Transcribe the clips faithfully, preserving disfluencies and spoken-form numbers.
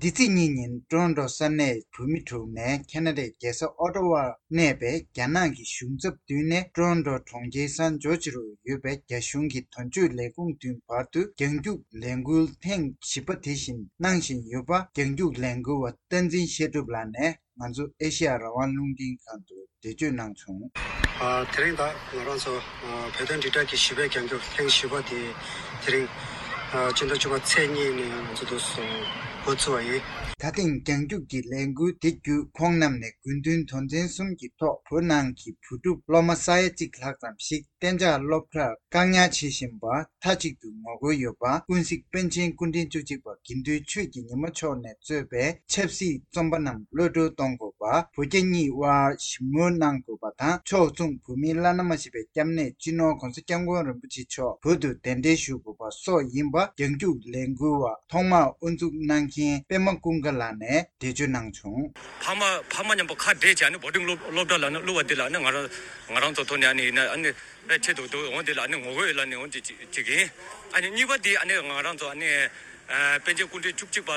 འདི་ཚེས་གཉིས་ཉིན་ཀྲོ་རོན་ཀྲོ་ས་གནས་བོད་མི་དྲུག་ནས་ཁེ་ན་ཌའི་རྒྱལ་ས་ཨོ་ཊ་ཝར་གནས་པའི་རྒྱ་ནག་གི་གཞུང་ཚབ་མདུན་ནས་ཀྲོ་རོན་ཀྲོ་གྲོང་ཁྱེར་སན་ཇོར་ཇི་རུ་ཡོད་པའི་རྒྱ་གཞུང་གི་དོན་གཅོད་ལས་ཁུངས་མདུན་བར་དུ་རྒྱང་རྒྱུགས་ལས་འགུལ་ཐེངས་བཞི་པ་དེ་བཞིན་གནང་བཞིན་ཡོད་པ་རྒྱང་རྒྱུགས་ལས་འགུལ་བ་བསྟན་འཛིན་བཤད་སྒྲུབ་ལགས་ནས་ང་ཚོ་ཨེ་ཤེ་ཡ་རང་དབང་རླུང་འཕྲིན་ཁང་དུ་འགྲེལ་བརྗོད་གནང་བྱུང་། ཨ། དེ་རིང་ད་ང་རང་ཚོ་ཨ་བོད་དོན་དྲིལ་བསྒྲགས་ཀྱི་བཞི་པའི་རྒྱང་རྒྱུགས་ཐེངས་བཞི་པ་དེ་དེ་རིང་ཨ་སྤྱི་ཟླ་བཅུ་པ་ཚེས་གཉིས་ནས་ང་ཚོ་འདུག་སེ་འགོ་ཚུགས་པ་ཡིན། ད་ཐེངས་རྒྱང་རྒྱུགས་ཀྱི་ལས་འགུལ་དེ་བརྒྱུད་ཁོང་རྣམས་ནས་དགོས་འདུན་དོན་ཚན་གསུམ་གྱི་ཐོག་བོད་ནང་གི་བུ་ཕྲུག་སློབ་མ་ས་ཡ་གཅིག་ལྷག་ཙམ་ཞིག་གཏན་འཇགས་སློབ་གྲྭར་བཀག་ཉར་བྱེད་བཞིན་པ་མཐའ་གཅིག་ཏུ་ངོ་རྒོལ་ཡོད་པ། ཀུན་གཟིགས་པཎ་ཆེན་སྐུ་ཕྲེང་བཅུ་གཅིག་པ་དགེ་འདུན་ཆོས་ཀྱི་ཉི་མ་མཆོག་ནས་གཙོས་པའི་ཆབ་སྲིད་བཙོན་པ་རྣམས་གློད་གྲོལ་གཏོང་དགོས་པ། བོད་རྒྱ་གཉིས་དབར་ཞི་མོལ་གནང་དགོས་པ་དང་། ཕྱོགས་མཚུངས་བོད་མིའི་བླ་ན་མ་བཞི་པའི་སྐྱབས་གནས་སྤྱི་ནོར་༸གོང་ས་༸སྐྱབས་མགོན་རིན་པོ་ཆེ་མཆོག་བོད་དུ་གདན་འདྲེན་ཞུ་དགོས་པ་སོགས་ཡིན་པ་རྒྱང་རྒྱུགས་ལས་འགུལ་བ་ཐོག་མར་དབུ་འཛུགས་གནང་མཁན་པད་མ་ཀུན་དགའ་ལགས་ནས་འགྲེལ་བརྗོད་གནང་བྱུང་། ཕ་མ་ཕ་མ་མཉམ་པོ་ཁ་བྲལ་བྱས་ནས་བོར་ཌིང་སློབ་སློབ་གྲྭ་ལ་ནི་བླུགས་པ་འདི་ལ་ནི་ང་རང་ང་རང་ཚོ་ཐོག་ནས་ཨ་ནི་ཡིན་ན་ཨ་ནི་ཕལ་ཆེར་དུ་དུ་འོང་དེ་ལ་ནི་ངོ་རྒོལ་ཡོད་ལ་ནི་འོང་དེ་ཅིག་ཅིག་ཡིན། ཨ་ནི་གཉིས་པ་དེ་ཨ་ནི་ང་རང་ཚོ་ཨ་ནི་ཨ་པཎ་ཆེན་སྐུ་ཕྲེང་བཅུ་གཅིག་པ་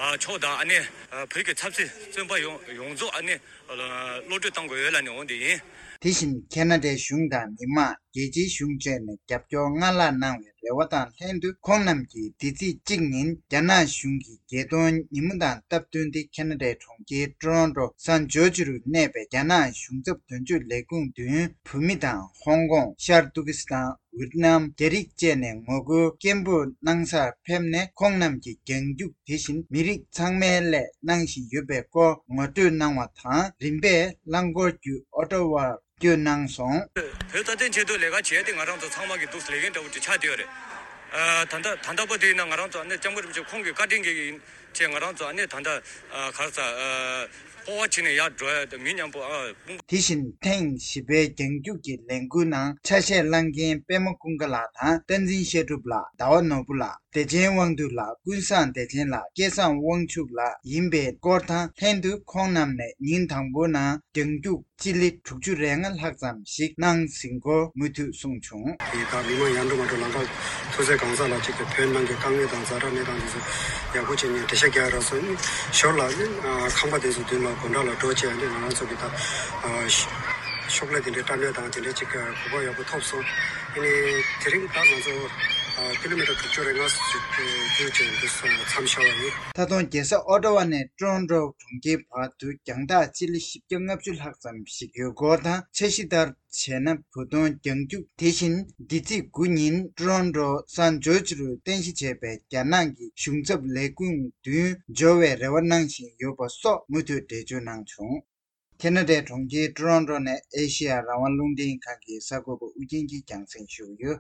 ཨ་མཆོག་དང་ཨ་ནི་ཨ་བོད་ཀྱི་ཆབ་སྲིད་བཙོན་པ་ཡོངས་ཡོངས་རྫོགས་ཨ་ནི་ཨ་གློད་གྲོལ་གཏོང་དགོས་ཡོད་ལ་ནི་འོང་དེ་ཡིན། དེ་བཞིན་ཁེ་ན་ཌའི་གཞུང་དང་མི་མང་རྒྱལ་སྤྱིའི་གཞུང་བཅས་ནས་རྒྱབ་སྐྱོར་སྔར་ལྷག་གནང་བའི་རེ་བ་དང་ལྷན་དུ། ཁོང་རྣམས་ཀྱིས་འདི་ཚེས་གཅིག་ཉིན་རྒྱ་ནག་གཞུང་གིས་རྒྱལ་སྟོན་ཉིན་མོ་དང་སྟབས་བསྟུན་ཏེ་ཁེ་ན་ཌའི་གྲོང་ཁྱེར་ཀྲོ་རོན་ཀྲོ་སན་ཇོར་ཇི་རུ་གནས་པའི་རྒྱ་ནག་གཞུང་ཚབ་དོན་གཅོད་ལས་ཁུངས་མདུན་བོད་མི་དང་ཧོང་ཀོང་། ཤར་ཏུར་ཀི་སི་ཐན། ཝེད་ནམ། རྒྱ་རིགས་བཅས་ནས་ངོ་རྒོལ་སྐད་འབོད་གནང་སར་ཕེབས་ནས། ཁོང་རྣམས་ཀྱིས་རྒྱང་རྒྱུགས་དེ་བཞིན་མི་རིགས་ཚང་མའི་སླད་གནང་བཞིན་ཡོད་པའི་སྐོར་ངོ་སྤྲོད་གནང་བ་དང་། རིམ་པས་རླངས་འཁོར་བརྒྱུད་ཨོ་ཊ་ཝར་བསྐྱོད་གནང་སོང་། བོད་རྩ་དོན་ཆེད་དུ་ལས་ཀ་བྱས་ཏེ་ང་རང་ཚོ་ཚང་མ་གི་འདུག་ལས་འགན་འདྲ་བོ་ཅིག་ཆགས་བསྡད་ཡོད་རེད། ཨ། ད་ལྟ་ད་ལྟ་བར་དུ་ཡིན་ན་ང་རང་ཚོ་ཨ་ནི་སྐྱབས་མགོན་རིན་པོ་ཆེ་ཁོང་གི་བཀའ་དྲིན་གྱིས་ཡིན་ཅེས་ང་རང་ཚོ་ཨ་ནི་ད་ལྟ་ཨ་ག་རེ་ཟ། ཨ། སྤོབས་པ་བྱས་ནས་ཡར་འགྲོ་ཡ་དང་མི་མཉམ་པོ་ཨ་དཔུང་། དེ་བཞིན་ཐེངས་བཞི་པའི་རྒྱང་རྒྱུག་གི་ལས་འགུལ་ནང་ཆ་ཤས་བླངས་མཁན་པད་མ་ཀུན་དགའ་ལགས་དང་བསྟན་འཛིན་བཤད་སྒྲུབ་ལགས། ཟླ་བ་ནོར་བུ་ལགས། བདེ་ཆེན་དབང་འདུས་ལགས། ཀུན་བཟང་བདེ་ཆེན་ལགས། སྐལ་བཟང་དབང་ཕྱུག་ལགས་ཡིན་པའི་སྐོར་དང་ལྷན་དུ། ཁོང་རྣམས་ནས་ཉིན་དང་པོའི་ནང་རྒྱང་རྒྱུག་སྤྱི་ལེ་དྲུག་ཅུ་རེ་ལྔ་ལྷག་ཙམ་ཞིག་གནང་ཟིན་སྐོར་མུ་མཐུད་གསུངས་བྱུང་། དེ་དག་མི་མང་ཡར་འགྲོ་མར་འགྲོ་ལམ་ཁ་ཐུག་སའི་གང་ཟག་ལ་གཅིག་གི་བོད་ནང་གི་དཀའ་ངལ་དང་ཛ་དྲག་གནས་སྟངས་དེ་ཚོ་ཡག་པོ་བྱས་ནས་འགྲེལ་བཤད་རྒྱག་རག་སོང་། ཞོར་ལ་ནི་ཁང་པ་དེ་ཚོ་མདུན་ལ་སྒོ་འགྲམ་ལ་འགྲོ་བྱས་ནས་ང་རང་ཚོ་གི་ད་ཤོག་ལྷེ་དེ་འདྲའི་བཀྲམ་ཡ་དང་དེ་འདྲའི་གཅིག་གོ་སྐབས་ཡག་པོ་ཐོབ་སོང་། ཨ་ནི་དེ་རིང་ད་ང་ཚོ་ཀི་ལོ་མི་ཊར་དྲུག་ཅུ་རེ་ལྔ་ཙམ་བརྒྱུད་བྱས་འདུག་མཚམས་བཞག་པ་ཡིན། ད་དུང་རྒྱལ་ས་ཨོ་ཊ་ཝ་ནས་ཀྲོ་རོན་ཀྲོ་གྲོང་ཁྱེར་བར་དུ་རྒྱང་ཐག་སྤྱི་ལེ་བཞི་བརྒྱ་ལྔ་བཅུ་ལྷག་ཙམ་ཞིག་ཡོད་སྐོར་དང་། འཆར་གཞི་ལྟར་བྱས་ན་བོད་དོན་རྒྱང་རྒྱུག་དེ་བཞིན་འདི་ཚེས་དགུ་ཉིན་ཀྲོ་རོན་ཀྲོ་སན་ཇོར་ཇི་རུ་རྟེན་གཞི་བྱས་པའི་རྒྱ་ནག་གི་གཞུང་ཚབ་ལས་ཁུངས་མདུན་འབྱོར་བའི་རེ་བ་གནང་བཞིན་ཡོད་པ་སོགས་མུ་མཐུད་འགྲེལ་བརྗོད་གནང་བྱུང་། ཁེ་ན་ཌའི་གྲོང་ཁྱེར་ཀྲོ་རོན་ཀྲོ་ནས་ཨེ་ཤེ་ཡ་རང་དབང་རླུང་འཕྲིན་ཁང་གི་གསར་འགོད་པ་ཨུ་རྒྱན་གྱིས་རྒྱང་སྲིང་ཞུས་ཡོད།